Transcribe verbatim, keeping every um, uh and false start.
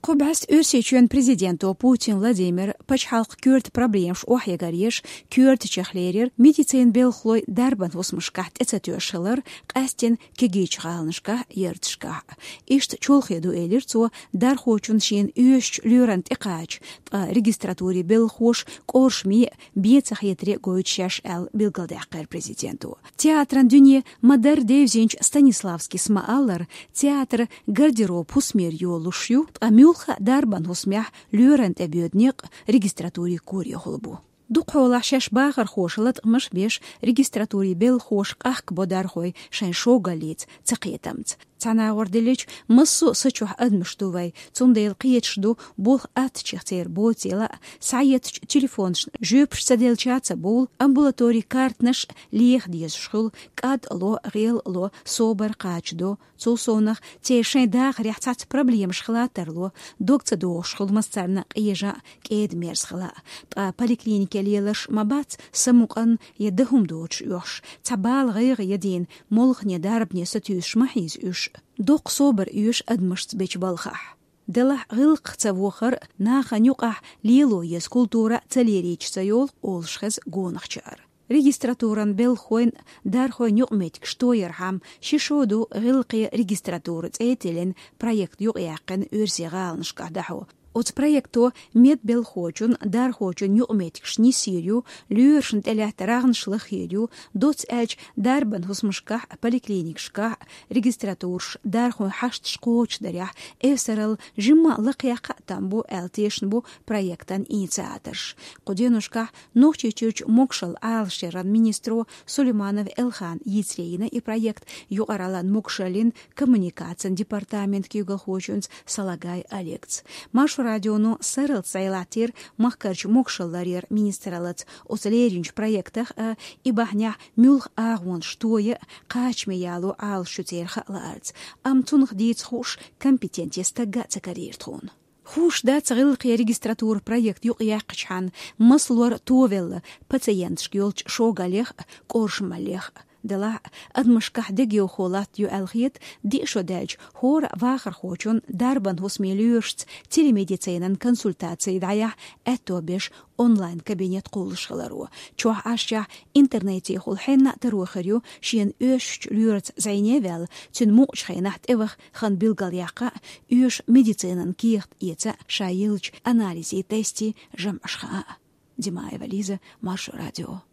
Кху бӀаьста Оьрсийчоьнан президенто Путин Владимира пачхьалкхан коьрта проблемаш охьаягӀар еш, коьртачех лерира медицинан белхалой дарбан хӀусамашкахь тӀе ца тоьшуш хилар, къаьсттина кегийчу гӀаланашкахь, ярташкахь. Иштта чолхе ду, элира цо, дархочун шена оьшучу лоьран тӀекхача, ткъа регистратурин белхахоша къоршаме а, бен ца хетаре а гойту шаьш аьлла билгалдаьккхира президенто. Театран дуьне ма-дарра девзинчу Станиславскис ма-аллара, театр гардероб хӀусамера йолуш ю, ткъа муьлхха а дарбан хӀусамехь лоьран тӀе боьду некъ регистратурин корехула бу. Дукхахьолахь шаьш бахархоша латкъамаш а беш, регистратурин белхахоша къахкабо дархой шайн шогаллица, цакхетамца. Цхьана агӀор деллачу, массо а са чохь адамаш ду вай, цундела кхеташ ду, болх аттачех церан боцийла а, схьаеттачу телефонашна жоьпаш ца делча а ца бовлу, амбулаторин картанаш а леха дезаш хуьлу, кӀад а ло, гӀел а ло, собар кхачадо. Цул совнаха, церан шайн дахарехь цхьацца проблемаш хила тарло, дог ца догӀуш хуьлу массарна къежа а, кӀеда-мерза хила а. Ткъа поликлинике леларш ма бац самукъана я дан хӀума доцуш оьхуш, цхьа бала гӀайгӀа ядийна, молхане, дарбане сатуьйсуш ма хьийза уьш. Доккха собар оьшу адамашца бечу балхахь. Делахь гӀиллакхах ца вохар а, нахана юкъахь лело еза культура а ца лерийча ца йолу, олуш хеза гонахчара. Регистратуран белхахойн а, дархойн юкъаметтигаш тоярхьама ши шо ду «ГӀиллакхе регистратура» цӀе а тиллина, проект юкъаяьккхина оьрсийн гӀаланашкахь дӀахьо. Оцу проекто медбелхахочун, дархочун юкъаметтигаш нисйийр ю, лоьрашна тӀелаьтта рагӀнаш лахйийр ю, доцца аьлча, дарбан хӀусамашкахь а, поликлиникашкахь а регистратураш, дархойн хьашташ кхочушдарехь эвсаралла жимма а лакхаяккха а там бу, аьлла тешна бу проектан инициаторш. Кху деношкахь Нохчийчуьрчу могушалла Ӏалашъяран министро Сулейманов Элхана йийцаре йина и проект юкъараллин, могушаллин, коммуникацин департаментан куьйгалхочуьнца Салагай Олегца. Маршо радионо сарралц зӀе латтийра махкарчу могушалла ларъяран министраллица оцу леринчу проектах а, и бахьанехь муьлха агӀонаш тоя а, кхачаме яло Ӏалашъю церан хаа лаарца. Амма цунах дийца хууш компетенте стагга а ца карийра тхуна. Хууш дац, гӀиллакхе регистратура проект юкъаяьккхичхьана, маса лор товелла пациенташка йолчу шогаллех а, къоршамаллех а. Делахь а, адамашкахь дегайовхо латта ю аьлла хета, диъ шо даьлча, хӀора а вахархочун, дарбан хӀусамийн лоьрашца телемедицинан консультаци дӀаяхьа аьтто беш онлайн-кабинет кхуллуш хиларо. Чохь Ӏашшехь интернетехула хьенна а таро хир ю шена оьшучу лоьраца зӀене а ваьлла, цуьнан мукъачу хенахь тӀеваха хан билгалъяккха а, оьшу медицинан кехат эца а, ша йиллачу анализийн, тестийн жамӀаш хаа а. Димаева Лиза, Маршо радио.